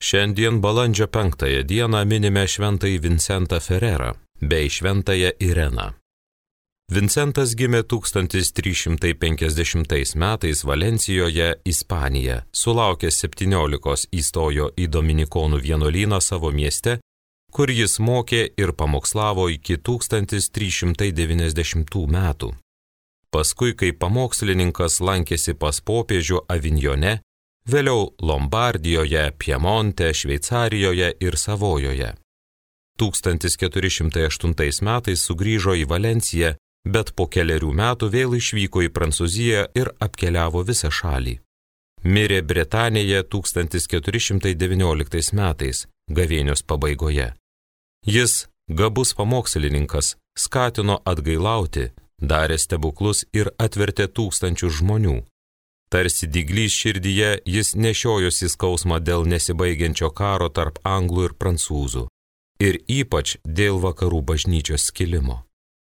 Šiandien balandžio 5 dieną minime šventąjį Vincentą Ferrerą bei šventąją Ireną. Vincentas gimė 1350 metais Valencijoje, Ispanija, sulaukęs 17 įstojo į Dominikonų vienuolyną savo mieste, kur jis mokė ir pamokslavo iki 1390 metų. Paskui, kai pamokslininkas lankėsi pas popiežių Avignone, vėliau Lombardijoje, Piemonte, Šveicarijoje ir Savojoje. 1408 metais sugrįžo į Valenciją, bet po keliarių metų vėl išvyko į Prancūziją ir apkeliavo visą šalį. Mirė Bretanėje 1419 metais, gavėnios pabaigoje. Jis, gabus pamokslininkas, skatino atgailauti, darė stebuklus ir atvertė tūkstančius žmonių. Tarsi dyglys širdyje jis nešiojosi skausmą dėl nesibaigiančio karo tarp anglų ir prancūzų ir ypač dėl vakarų bažnyčios skilimo.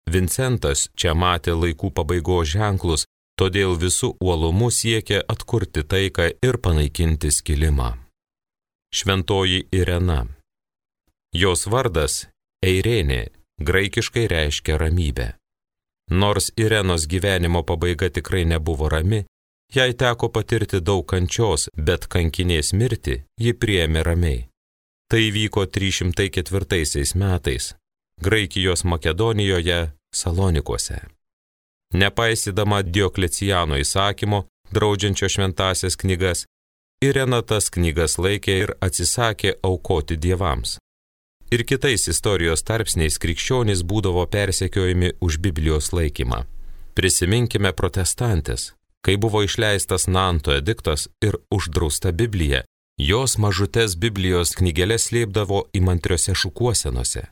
Vincentas čia matė laikų pabaigos ženklus, todėl visų uolumu siekė atkurti taiką ir panaikinti skilimą. Šventoji Irena. Jos vardas Eirenė graikiškai reiškia ramybę. Nors Irenos gyvenimo pabaiga tikrai nebuvo rami, jai teko patirti daug kančios, bet kankinės mirtį ji priėmė ramiai. Tai vyko 304 metais, Graikijos Makedonijoje, Salonikuose. Nepaisydama Diokleciano įsakymo, draudžiančio šventąsias knygas, Irena tas knygas laikė ir atsisakė aukoti dievams. Ir kitais istorijos tarpsniais krikščionys būdavo persekiojami už Biblijos laikymą. Prisiminkime protestantės, kai buvo išleistas Nanto ediktas ir uždrausta Biblija, jos mažutes Biblijos knygeles slėpdavo įmantriose šukuosenose.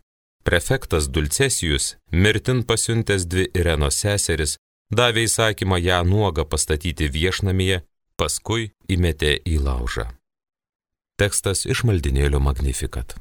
Prefektas Dulcesijus, mirtin pasiuntęs 2 Irenos seseris, davė įsakymą ją nuogą pastatyti viešnamyje, paskui įmetė į laužą. Tekstas iš maldynėlio Magnificat.